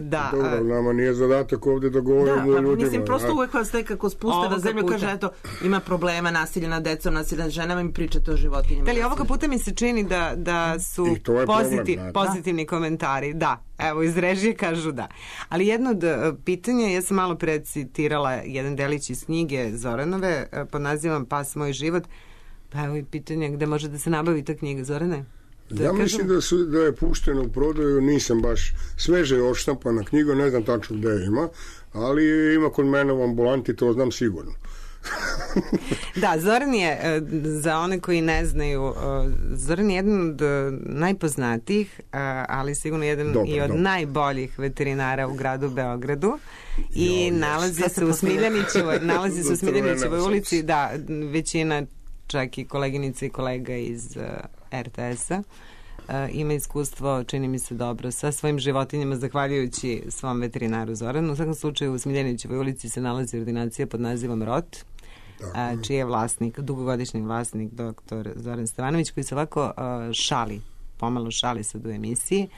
Da. Dobro, nama nije zadatak ovde da govorimo da, o ljudima. Mislim, prosto uvek vas nekako spuste na zemlju, kaže, eto, ima problema, nasilje nad decom, nasilje nad ženama i pričate o životinjama. Da li ovoga puta mi se čini da, da su pozitiv, problem, pozitivni da. komentari. Da, evo, iz režije kažu da. Ali jedno od pitanja, ja sam malo precitirala jedan delić iz knjige Zoranove, pod nazivom Pas moj život, pa evo i pitanje gde može da se nabavi ta knjiga, Zorane? Da ja kažem... mislim da, su, da je pušteno u prodaju, nisam baš sveže je odštampana knjiga, ne znam tačno gde je ima, ali ima kod mene u ambulanti, to znam sigurno. Da, Zoran je, za one koji ne znaju, Zoran je jedan od najpoznatijih, ali sigurno jedan dobar, i od dobar. najboljih veterinara u gradu Beogradu i jo, nalazi se u Smiljanićevoj, nalazi se u Smiljanićevoj ulici, da, većina čak i koleginica i kolega iz er te es-a Uh, ima iskustvo, čini mi se dobro, sa svojim životinjama, zahvaljujući svom veterinaru Zoranu. U svakom slučaju u Smiljanićevoj ulici se nalazi ordinacija pod nazivom Rot, uh, čiji je vlasnik, dugogodišnji vlasnik doktor Zoran Stevanović, koji se ovako uh, šali, pomalo šali sad u emisiji,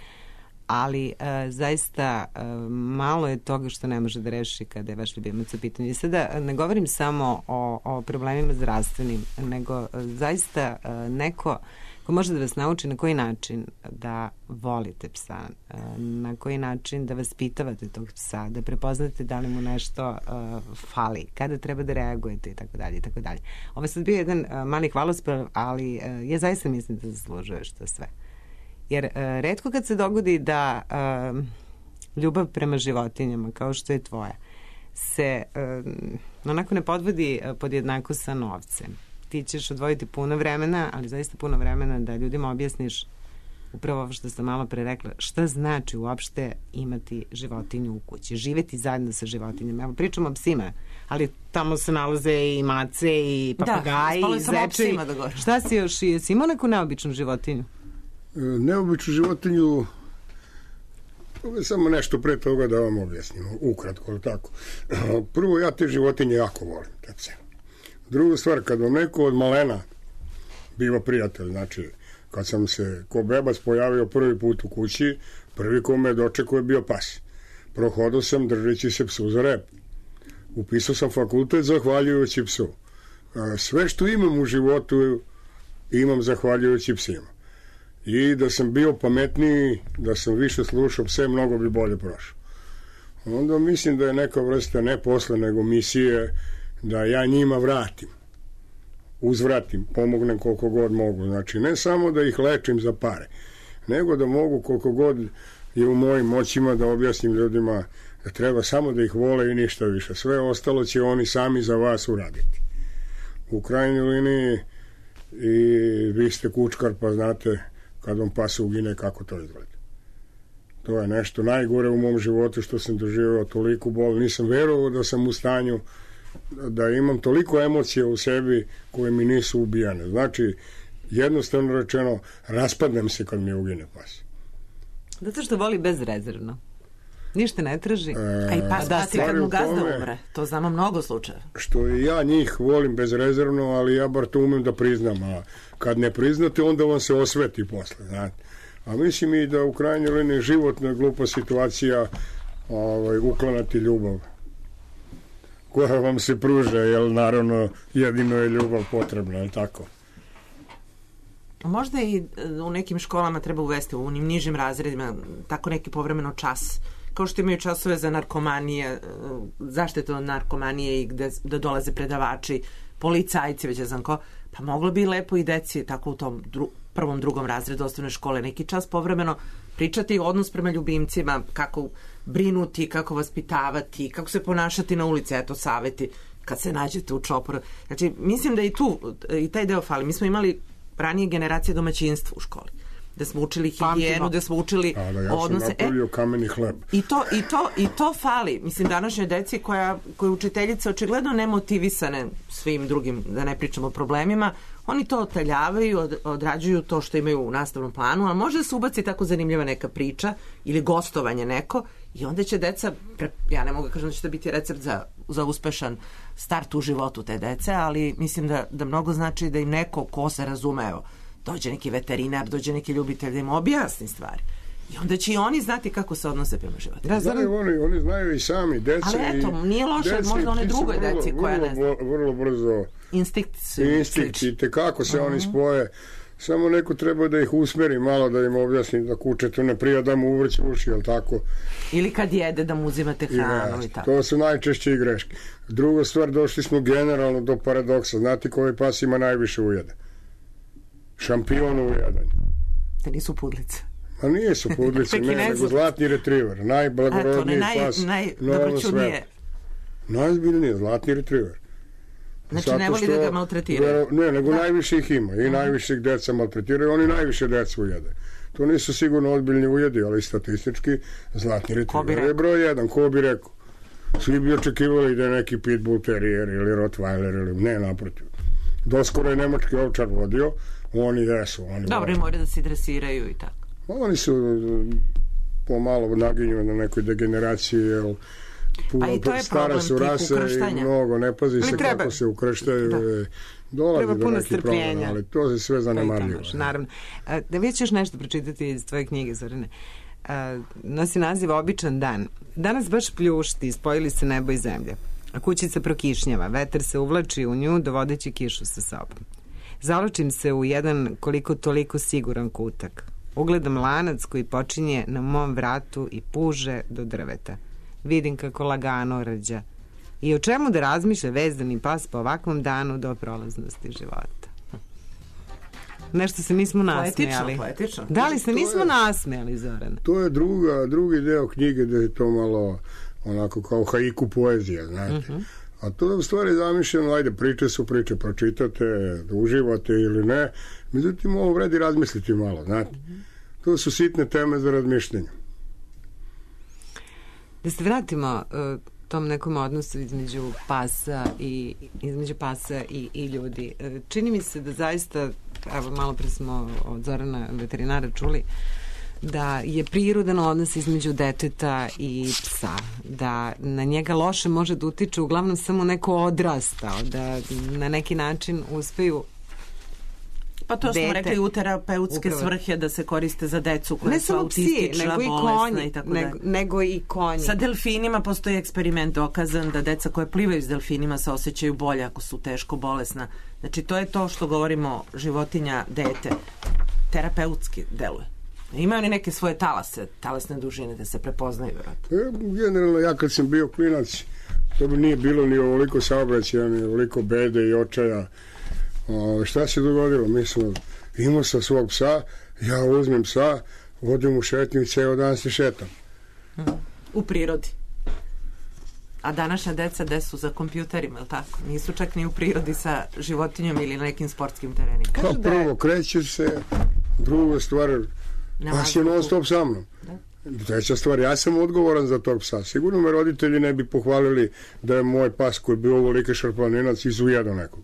ali uh, zaista uh, malo je toga što ne može da reši kada je vaš ljubimac u pitanju. I sada ne govorim samo o, o problemima zdravstvenim, nego uh, zaista uh, neko ko može da vas nauči na koji način da volite psa, na koji način da vaspitavate tog psa, da prepoznate da li mu nešto uh, fali, kada treba da reagujete i tako dalje i tako dalje. Ovo je sad bio jedan uh, mali hvalospev, ali uh, ja zaista mislim da zaslužuješ to sve. Jer uh, retko kad se dogodi da uh, ljubav prema životinjama, kao što je tvoja, se uh, onako ne podvodi uh, podjednako sa novcem. Ti ćeš odvojiti puno vremena, ali zaista puno vremena da ljudima objasniš upravo ovo što sam malo pre rekla, šta znači uopšte imati životinju u kući, živeti zajedno sa životinjama. Evo, pričamo o psima, ali tamo se nalaze i mace i papagaji, da, i zeče. Da, šta si još, jesi imao neku neobičnu životinju? E, neobičnu životinju, samo nešto pre toga da vam objasnim, ukratko, tako. Prvo, ja te životinje jako volim, tako se. Druga stvar, kad vam neko od malena biva prijatelj, znači kad sam se ko bebac pojavio prvi put u kući, prvi ko me dočekao je bio pas. Prohodao sam držeći se psu za rep. Upisao sam fakultet zahvaljujući psu. Sve što imam u životu imam zahvaljujući psima. I da sam bio pametniji, da sam više slušao pse, mnogo bi bolje prošao. Onda mislim da je neka vrsta ne posle, nego misije da ja njima vratim, uzvratim, pomognem koliko god mogu. Znači, ne samo da ih lečim za pare, nego da mogu koliko god je u mojim moćima da objasnim ljudima da treba samo da ih vole i ništa više. Sve ostalo će oni sami za vas uraditi. U krajnjoj liniji i vi ste kučkar, pa znate kad vam pas ugine kako to izgleda. To je nešto najgore u mom životu što sam doživio, toliku bol. Nisam verovao da sam u stanju da imam toliko emocija u sebi koje mi nisu ubijane. Znači, jednostavno rečeno, raspadnem se kad mi ugine pas. Zato što voli bezrezervno. Ništa ne traži. A i pas da pati se- kad mu gazda tome- umre. To znamo mnogo slučajeva. Što i ja njih volim bezrezervno, ali ja bar to umem da priznam, a kad ne priznate, onda vam se osveti posle, znate. A mislim i da u krajnjoj liniji životna glupa situacija ovaj, uklanati ljubav koja vam se pruža, jer naravno jedino je ljubav potrebna, je li tako? Možda i e, u nekim školama treba uvesti u onim nižim razredima tako neki povremeno čas, kao što imaju časove za narkomanije, e, zaštitu od narkomanije i gde da dolaze predavači, policajci, već ne znam ko, pa moglo bi lepo i deci tako u tom dru, prvom, drugom razredu osnovne škole neki čas povremeno pričati odnos prema ljubimcima, kako brinuti, kako vaspitavati, kako se ponašati na ulici, eto saveti kad se nađete u čoporu. Znači, mislim da i tu, i taj deo fali. Mi smo imali ranije generacije domaćinstva u školi, da smo učili higijenu, da smo učili A da ja sam odnose. E, napravio kameni hleb. I to, i, to, I to fali. Mislim, današnjoj deci koja, koje učiteljice očigledno nemotivisane svim drugim, da ne pričamo o problemima, oni to otaljavaju, od, odrađuju to što imaju u nastavnom planu, a može da se ubaci tako zanimljiva neka priča ili gostovanje neko i onda će deca, pre, ja ne mogu da kažem da će to biti recept za, za uspešan start u životu te dece, ali mislim da, da mnogo znači da im neko ko se razume, evo, dođe neki veterinar, dođe neki ljubitelj da im objasni stvari. I onda će i oni znati kako se odnose prema životu. Da, znam- Znaju oni, oni znaju i sami, deca Ali eto, i... nije loše, deci, možda one ti se drugoj vrlo- deci koja vrlo, ne zna. Vrlo brzo Instinkt su instinkt slični. i tekako se oni spoje. Samo neko treba da ih usmeri malo, da im objasni da kuće tu ne prija da mu uvrće uši, jel tako? Ili kad jede da mu uzimate I hranu ne, i tako. to su najčešće i greške. Druga stvar, došli smo generalno do paradoksa. Znate koji pas ima najviše ujeda? Šampion u ujedanju. Da nisu pudlice. A nije su pudlice, ne, Pekinezu. nego zlatni retriver. Eto, ne, Najblagorodniji naj, pas na ovom najdobroćudnije. svetu. Najzbiljnije, zlatni retriver. Znači, ne Zato voli da što- ga maltretiraju. Ne, nego najviše ih ima. I najviše ih deca maltretiraju, oni najviše deca ujede. To nisu sigurno ozbiljni ujedi, ali statistički zlatni Ko bi retriver je rekao? broj jedan. Ko bi rekao? Svi bi očekivali da je neki pitbull terrier ili rottweiler ili ne, naprotiv. Doskoro je nemački ovčar vodio, oni jesu. Oni Dobro, i vole. moraju da se dresiraju i tako. Oni su uh, pomalo naginju na nekoj degeneraciji, jer puno Pa i to je stara problem su tih rase i ukrštanja. mnogo ne pazi se treba- kako se ukrštaju. Da. e, Dolazi Treba do puno nekih problema, strpljenja. ali to se sve To i zanemarljivo. tamo, naravno. A, da vi ćeš nešto pročitati iz tvoje knjige, Zorane. A, nosi naziv Običan dan. Danas baš pljušti, spojili se nebo i zemlja. A kućica prokišnjava, vetar se uvlači u nju, dovodeći kišu sa sobom. Zaločim se u jedan koliko toliko siguran kutak. Ugledam lanac koji počinje na mom vratu i puže do drveta. Vidim kako lagano rađa. I o čemu da razmišlja vezdani pas po ovakvom danu do prolaznosti života. Nešto se nismo nasmejali. Poetično, poetično. Da li se To nismo je- nasmejali, Zoran? To je druga, drugi deo knjige da je to malo onako kao haiku poezija, znate. Mhm. A to je u stvari zamišljeno, ajde, priče su priče, pročitate, da uživate ili ne. Međutim, ovo vredi razmisliti malo, znate. To su sitne teme za razmišljanje. Da se vratimo uh, tom nekom odnosu između pasa i između pasa i, i ljudi. Uh, čini mi se da zaista, evo malo pre smo od Zorana veterinara čuli, da je prirodan odnos između deteta i psa, da na njega loše može da utiče uglavnom samo neko odrastao, da na neki način uspeju. Pa to smo Dete. rekli u terapeutske Upravo. svrhe da se koriste za decu koja Ne su samo psi, autistična, nego i bolesna konji, i tako nego, dalje. nego i konji. Sa delfinima postoji eksperiment dokazan da deca koje plivaju s delfinima se osjećaju bolje ako su teško bolesna. Znači, to je to što govorimo životinja, dete. Terapeutski deluje. Imaju oni neke svoje talase, talasne dužine da se prepoznaju, vjerojatno. E, generalno, ja kad sam bio klinac, to bi nije bilo ni ovoliko saobraćaja, ni ovoliko bede i očaja. O, šta se dogodilo? Mi smo, imao sam svog psa, ja uzmem psa, vodim u šetnju i ceo dan se šetam. U prirodi. A današnja deca gde su za kompjuterima, je li tako? Nisu čak ni u prirodi sa životinjom ili na nekim sportskim terenima. Pa prvo, kreće se, druga stvar, Na pas je vazduhu. non stop sa mnom. Treća stvar, ja sam odgovoran za tog psa. Sigurno me roditelji ne bi pohvalili da je moj pas koji je bio ovolike šarpaninac izujedao nekog.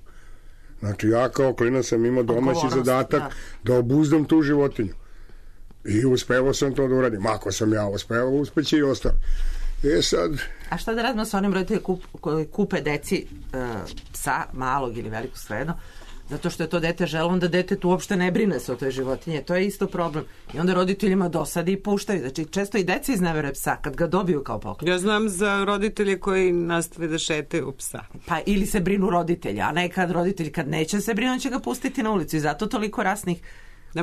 Znači, ja kao klinac sam imao domaći Odgovornost, zadatak da. da obuzdam tu životinju. I uspevao sam to da uradim. Ako sam ja uspevao, uspeće i ostali. E sad... A šta da radimo sa onim roditeljima kup, koji kupe deci uh, psa, malog ili velikog, svejedno, zato što je to dete želo, onda dete tu uopšte ne brine se o toj životinje. To je isto problem. I onda roditeljima dosadi i puštaju. Znači, često i deca iznevere psa kad ga dobiju kao poklon. Ja znam za roditelje koji nastave da šetaju psa. Pa ili se brinu roditelja, a ne kad roditelj kad neće se brinu, on će ga pustiti na ulicu. I zato toliko rasnih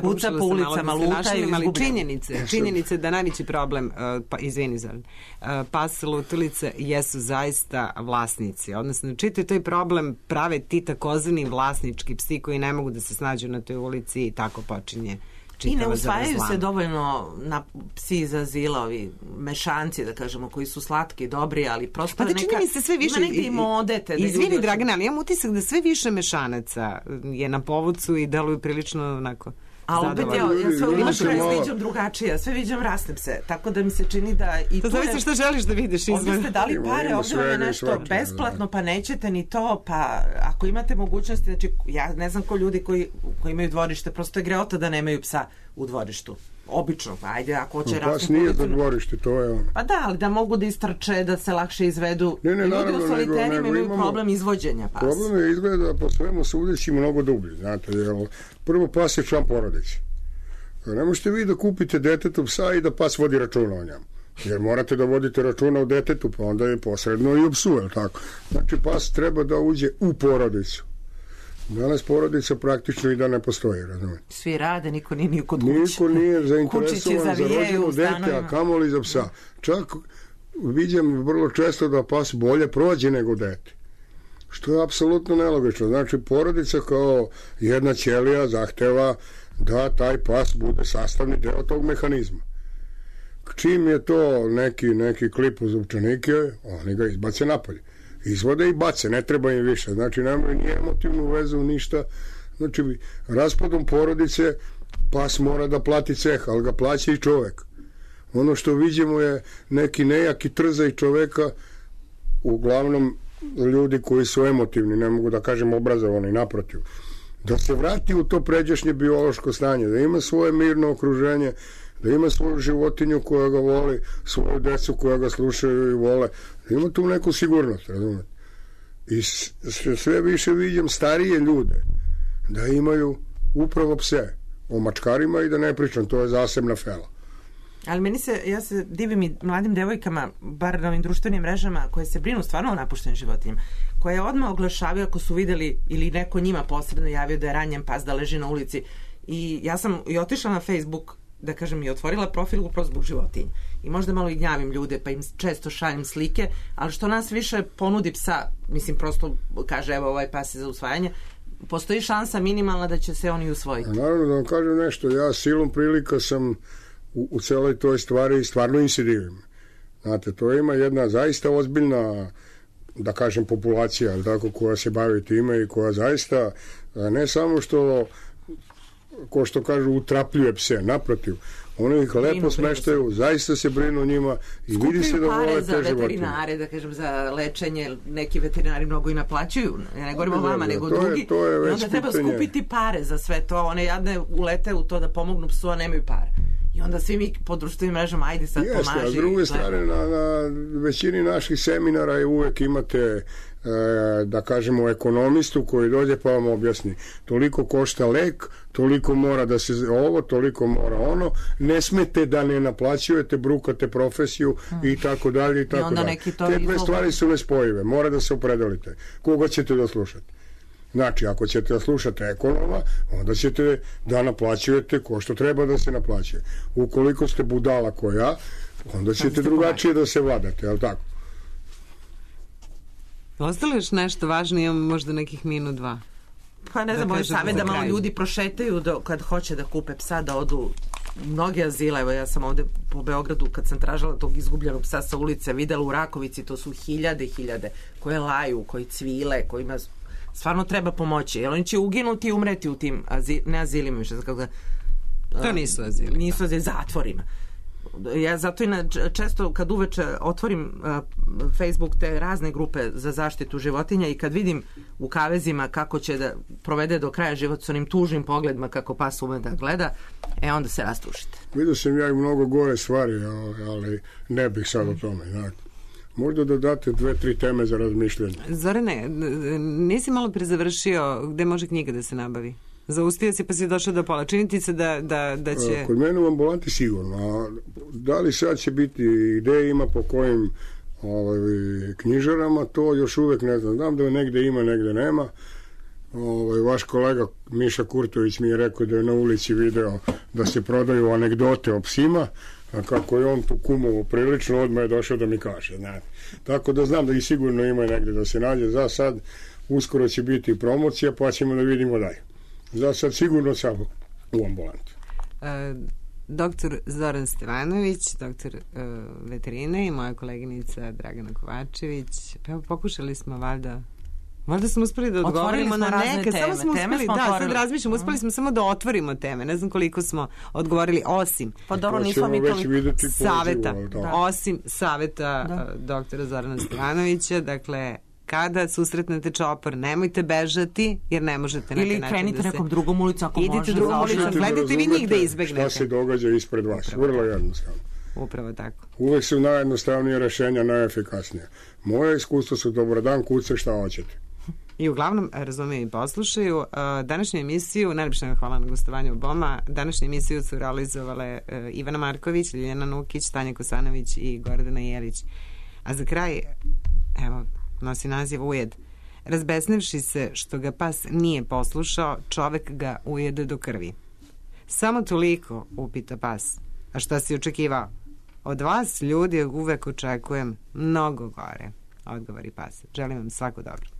puca po ulicama, lutaju, ali činjenice, činjenice da najveći problem, uh, pa izvini za uh, pas, lutalice jesu zaista vlasnici. Odnosno, čitav taj problem prave ti takozvani vlasnički psi koji ne mogu da se snađu na toj ulici i tako počinje. I ne usvajaju se dovoljno na psi iz azila, ovi mešanci, da kažemo, koji su slatki, dobri, ali prosto pa da neka, mi se sve više, ima negdje i modete. Da izvini, ljudi... Dragana, ali imam utisak da sve više mešanaca je na povucu i deluju prilično onako... A opet ja, ja sve uvijek malo... viđam drugačije, sve viđam rasnem se, tako da mi se čini da i to... To zavisi što želiš da vidiš izvan. Ovdje ste dali pare, ovdje vam je nešto besplatno, pa nećete ni to, pa ako imate mogućnosti, znači ja ne znam ko ljudi koji, koji imaju dvorište, prosto je greota da nemaju psa u dvorištu. Obično, pa ajde, ako hoće rasnu pas nije za dvorište, to je ono. Pa da, ali da mogu da istrče, da se lakše izvedu. Ne, ne, naravno, ljudi u soliterima imaju imamo, problem izvođenja pasa. Problem je izgleda po svemu sudeći mnogo dublji, znate, jer prvo pas je član porodice. Ne možete vi da kupite detetu psa i da pas vodi računa o njemu. Jer morate da vodite računa o detetu, pa onda je posredno i o psu, je tako? Znači, pas treba da uđe u porodicu. Danas porodica praktično i da ne postoji, razumijete? Svi rade, niko nije ni kod kuće. Niko nije zainteresovan za rođeno dete, a kamoli za psa. Čak vidim vrlo često da pas bolje prođe nego dete. Što je apsolutno nelogično. Znači, porodica kao jedna ćelija zahteva da taj pas bude sastavni deo tog mehanizma. Čim je to neki, neki klip uz upčanike, oni ga izbace napolje. Izvode i bace, ne treba im više. Znači, nemaju ni emotivnu vezu, ništa. Znači, raspadom porodice pas mora da plati ceh, ali ga plaća i čovek. Ono što vidimo je neki nejaki trzaj čoveka, uglavnom ljudi koji su emotivni, ne mogu da kažem obrazovani, naprotiv. Da se vrati u to pređašnje biološko stanje, da ima svoje mirno okruženje, da ima svoju životinju koja ga voli, svoju decu koja ga slušaju i vole, da ima tu neku sigurnost, razumete? I sve više vidim starije ljude da imaju upravo pse, o mačkarima i da ne pričam, to je zasebna fela. Ali meni se, ja se divim i mladim devojkama, bar na ovim društvenim mrežama, koje se brinu stvarno o napuštenim životinjama, koje odmah oglašavaju ako su videli ili neko njima posredno javio da je ranjen pas, da leži na ulici. I ja sam i otišla na Facebook, da kažem, i otvorila profil upravo zbog životinja. I možda malo i gnjavim ljude, pa im često šaljem slike, ali što nas više ponudi psa, mislim, prosto kaže, evo, ovaj pas je za usvajanje, postoji šansa minimalna da će se oni usvojiti. A naravno, da vam kažem nešto, ja silom prilika sam u, u celoj toj stvari stvarno insidiram. Znate, to ima jedna zaista ozbiljna, da kažem, populacija, ali tako, koja se bavi time i koja zaista, ne samo što, ko što kažu, utrapljuje pse, naprotiv, oni ih lepo smeštaju, zaista se brinu njima i vidi se da vole te životinje. Skupljaju pare za veterinare, da kažem, za lečenje, neki veterinari mnogo i naplaćuju, ja ne govorim o vama, nego to drugi, je, to je i onda treba pitanje. Skupiti pare za sve to, one jadne ulete u to da pomognu psu, a nemaju pare. I onda svi mi po društvenim mrežama, ajde sad Jeste, pomaži. A s druge strane, na, na većini naših seminara je uvek imate, e, da kažemo, ekonomistu koji dođe pa vam objasni. Toliko košta lek, toliko mora da se ovo, toliko mora ono, ne smete da ne naplaćujete, brukate profesiju hmm. i tako dalje i tako dalje. Te dve stvari su nespojive, mora da se opredelite. Koga ćete da slušate? Znači, ako ćete da slušate ekonoma, onda ćete da naplaćujete ko što treba da se naplaćuje. Ukoliko ste budala ko ja, onda ćete drugačije da se vladate, je li tako? Ostalo još nešto važno, imamo možda nekih minut, dva. Pa ne znam, moj savjet da malo ljudi prošetaju do, kad hoće da kupe psa, da odu mnoge azile. Evo, ja sam ovde po Beogradu, kad sam tražila tog izgubljenog psa sa ulice, videla u Rakovici, to su hiljade, hiljade, koje laju, koji cvile, kojima stvarno treba pomoći, jer oni će uginuti i umreti u tim azil, ne azilima više, kako da, to nisu azili. Nisu azili, zatvorima. Ja zato i na, često kad uveče otvorim uh, Facebook te razne grupe za zaštitu životinja i kad vidim u kavezima kako će da provede do kraja život s onim tužnim pogledima kako pas ume da gleda, e onda se rastušite. Vidio sam ja i mnogo gore stvari, ali ne bih sad o tome. Znači. Možda da date dve, tri teme za razmišljanje. Zorane, nisi malo prezavršio gde može knjiga da se nabavi? Zaustio si pa si došao do pola. Čini ti se da, da, da će... Kod mene u ambulanti sigurno. A da li sad će biti, gde ima, po kojim ovaj, knjižarama, to još uvek ne znam. Znam da negde ima, negde nema. Ovaj, vaš kolega Miša Kurtović mi je rekao da je na ulici video da se prodaju anegdote o psima, a kako je on tu kumovo prilično, odmah je došao da mi kaže. Znate. Tako da znam da i sigurno ima negde da se nađe. Za sad uskoro će biti promocija, pa ćemo da vidimo dalje. Za sad sigurno samo u ambulantu. E, doktor Zoran Stevanović, doktor e, veterine i moja koleginica Dragana Kovačević. Pa evo, pokušali smo valjda Valjda smo uspeli da odgovorimo na neke, teme. samo smo teme uspeli, smo da, otvorili. sad razmišljam, uspeli smo samo da otvorimo teme, ne znam koliko smo odgovorili, osim pa dobro, nismo mi to saveta, da. osim saveta da. doktora Zorana Stevanovića, dakle, kada susretnete čopor, nemojte bežati, jer ne možete na taj način da se... Ili krenite nekom drugom ulicom, ako idite može. drugom ulicom, gledajte vi njih da izbegnete. Šta se događa ispred vas, Upravo vrlo jednostavno. Upravo tako. Uvek su najjednostavnije rešenja, najefikasnije. Moje iskustvo su dobro dan, kuce, šta hoćete. I uglavnom, razumiju i poslušaju. Današnju emisiju, najljepša vam hvala na gostovanju Boma, današnju emisiju su realizovale Ivana Marković, Ljiljana Nukić, Tanja Kosanović i Gordana Jelić. A za kraj, evo, nosi naziv Ujed. Razbesnevši se što ga pas nije poslušao, čovek ga ujede do krvi. Samo toliko, upita pas. A šta si očekivao? Od vas, ljudi, uvek očekujem mnogo gore, odgovori pas. Želim vam svako dobro.